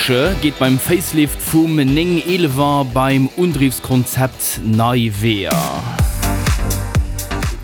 Porsche geet beim Facelift vum 911er beim Undriwskonzept nei Weeër.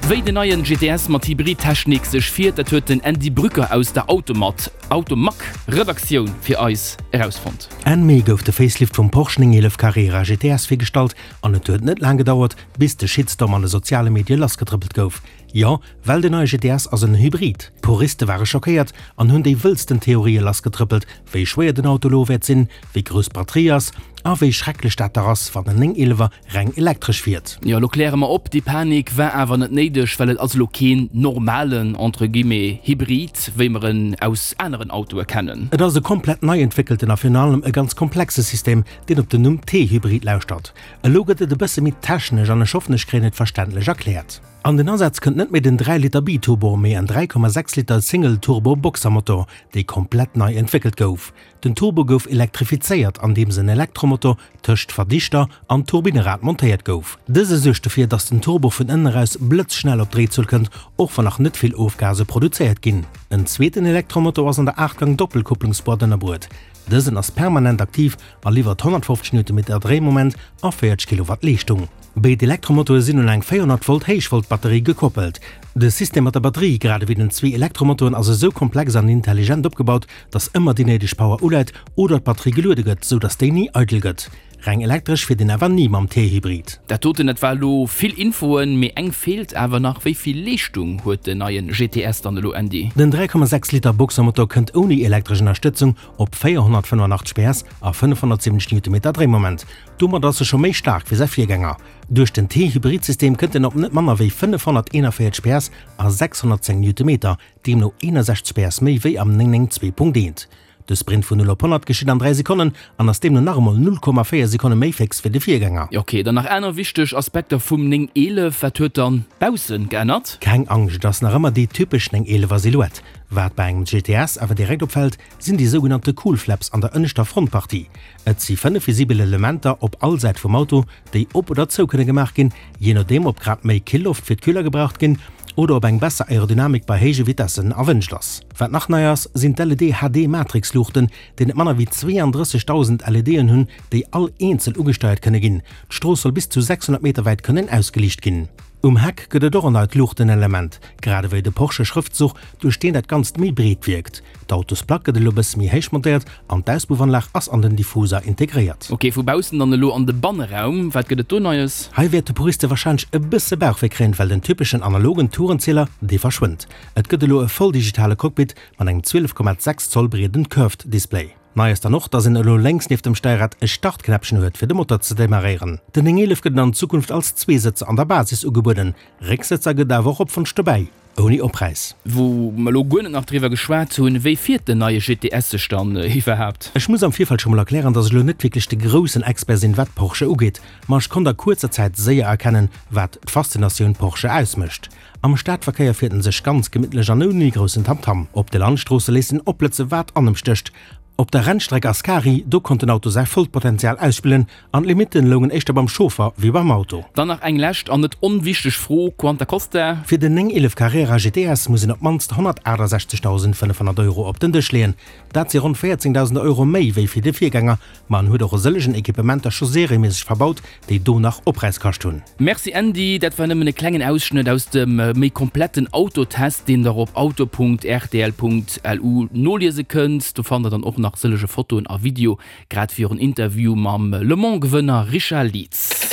Wéi den neien GTS mat Hybrid-Technik sech fiert, dat huet den Andy Brücker aus der Automag Redaktioun fir eis erausfonnt. Enn Mee gouf de Facelift vum Porsche 911 Carrera GTS virgestallt an et huet net laang gedauert, bis de Shitstorm an de soziale Medie lassgetrëppelt gouf. Jo, well den neie GTS ass en Hybrid. D'Puriste ware schockéiert an hunn déi wëllsten Theorië lassgetrëppelt, wéi schwéier den Auto elo wäert sinn, wéi grouss d'Batterie ass a wéi schrecklech dat dach ass, wann en 911er reng elektresch fiert. Jo, elo kläre mer op, déi Panik war awer net néideg, well et ass elo keen normalen, entre guillemets, Hybrid, wéi mer en aus aneren Autoe kennen. Et ass e komplett nei entwéckelten a virun allem e ganz komplexe System, deen op den Numm T-Hybrid lauschtert. Elo gëtt et e bësse méi technesch an ech hoffen, ech kréien et verständlech erkläert. An den Asaz kënnt net méi den 3 Liter Biturbo, mee en 3,6 Liter Single-Turbo Boxermotor, dee komplett nei entwéckelt gouf. Den Turbo gouf elektrifizéiert, andeems en Elektromotor tëscht Verdichter an Turbinnerad montéiert gouf. Dëse suergt dofir, dass den Turbo vun ënnen eraus blëtzschnell op Dréizuel kënnt, och wann nach net vill Ofgase produzéiert ginn. En zweeten Elektromotor ass an der Aachtgang-Doppelkupplungsboîte ënnerbruet. Dësen ass permanent aktiv a liwwert 150 Newtonmeter Dréimoment a 40 Kilowatt Leeschtung. Béid Elektromotoe sinn un eng 400 Volt Héichvolt-Batterie gekoppelt. De System mat der Batterie, grad ewéi den zwee Elektromotoren, ass esou komplex an intelligent opgebaut, dass ëmmer déi néideg Power uläit oder d'Batterie geluede gëtt, sou dass déi ni eidel gëtt. Reng elektresch fiert een awer ni mam T-Hybrid. Dat doten, dat war elo vill Infoen, mee eng feelt awer nach, Wéi vill Leeschtung huet den neien GTS dann elo, Andy? Den 3,6 Liter Boxermotor kënnt ouni elektresch Ënnerstëtzung op 485 PS a 570 Newtonmeter Dréimoment. Domat ass e scho méi staark wéi säi Virgänger. Duerch den T-Hybrid-System kënnt en op net manner wéi 541 PS a 610 Newtonmeter, deemno 61 PS méi wéi am 992.1. De Sprint vun 0 op 100 geschitt an 3 Sekonnen an ass deemno nach emol 0,4 Sekonne méi féx wéi de Virgänger. Ok, dann nach aner wichteg Aspekter vum 911. Wat huet dann baussen geännert? Keng Angscht, et ass nach ëmmer déi typesch 911er Silhouette. Wat bei engem GTS awer direkt opfält, sinn déi sougenannte Cool Flaps an der ënneschter Frontpartie. Et si 5 visibel Elementer op all Säit vum Auto, déi op oder zou kënne gemaach ginn, jee nodeem ob grad méi Killoft fir d'Küller gebraucht ginn oder ob eng besser Aerodynamik bei héije Vitessen erwënscht ass. Wat nach nei ass, sinn d'LED HD Matrix-Luuchten, déi net manner wéi 32.000 LEDen hunn, déi all eenzel ugesteiert kënne ginn. D'Strooss soll bis zu 600 Meter wäit kënnen ausgeliicht ginn. Um Heck gëtt et och en neit Luuchtenelement, grad ewéi de Porsche-Schrëftzuch, duerch deen dat Ganzt méi breet wierkt. D'Autosplack gëtt elo bësse méi héich montéiert an d'Auspuffanlag ass an den Diffuser integréiert. Ok, vu baussen dann elo an de Banneraum, wat gëtt et do Neies? Hei wäerte Puriste warscheinlech e bësse Bauchwéi kréien, well den typeschen analogen Tourenzieler, dee verschwënnt. Et gëtt elo e voll digitale Cockpit mat engem 12,6 Zoll breeden Curved Display. Nei ass dann och, dass een elo lénks nieft dem Steierrad e Startknäppchen huet, fir de Motor ze demarréieren. Den 911 gëtt an Zukunft als Zweesëtzer an der Basis ugebueden, Récksëtzer gëtt et awer och op Wonsch dobäi, ouni Oppräis. Wou mer elo guer net nach driwwer geschwat hunn, wéi fiert den neie GTS sech dann iwwerhaapt? Ech muss am Virfeld scho mol erklären, dass ech elo net wierklech de groussen Expert sinn, wat Porsche ugeet, ma ech konnt a kuerzer Zäit séier erkennen, wat d'Faszinatioun Porsche ausmécht. Am Stadverkéier fiert en sech ganz gemittlech an ouni groussen Tamtam. Op de Landstroosse léisst en opblëtze wat an em stécht. Op der Rennstreck Ascari, do konnt den Auto säi vollt Potenzial ausspillen an d'Limitten loungen éischter beim Chauffer wéi beim Auto. Dann nach eng lescht an net onwichteg Fro, Quanta costa? Fir den 911 Carrera GTS muss een op d'mannst 168.500 Euro op den Dësch leeën. Dat si ronn 14.000 Euro méi wéi fir de Virgänger, ma en huet och e sëllegen Equipementer scho serieméisseg verbaut, déi do nach Oppräis kascht hunn. Merci Andy, dat war nëmmen e klengen Ausschnëtt aus dem méi kompletten Autotest, deen der op auto.rtl.lu noliese kënnt. Do fannt der dann och nach sëllege Fotoen a Video, grad wéi och en Interview mam Le Mans Gewënner Richard Lietz.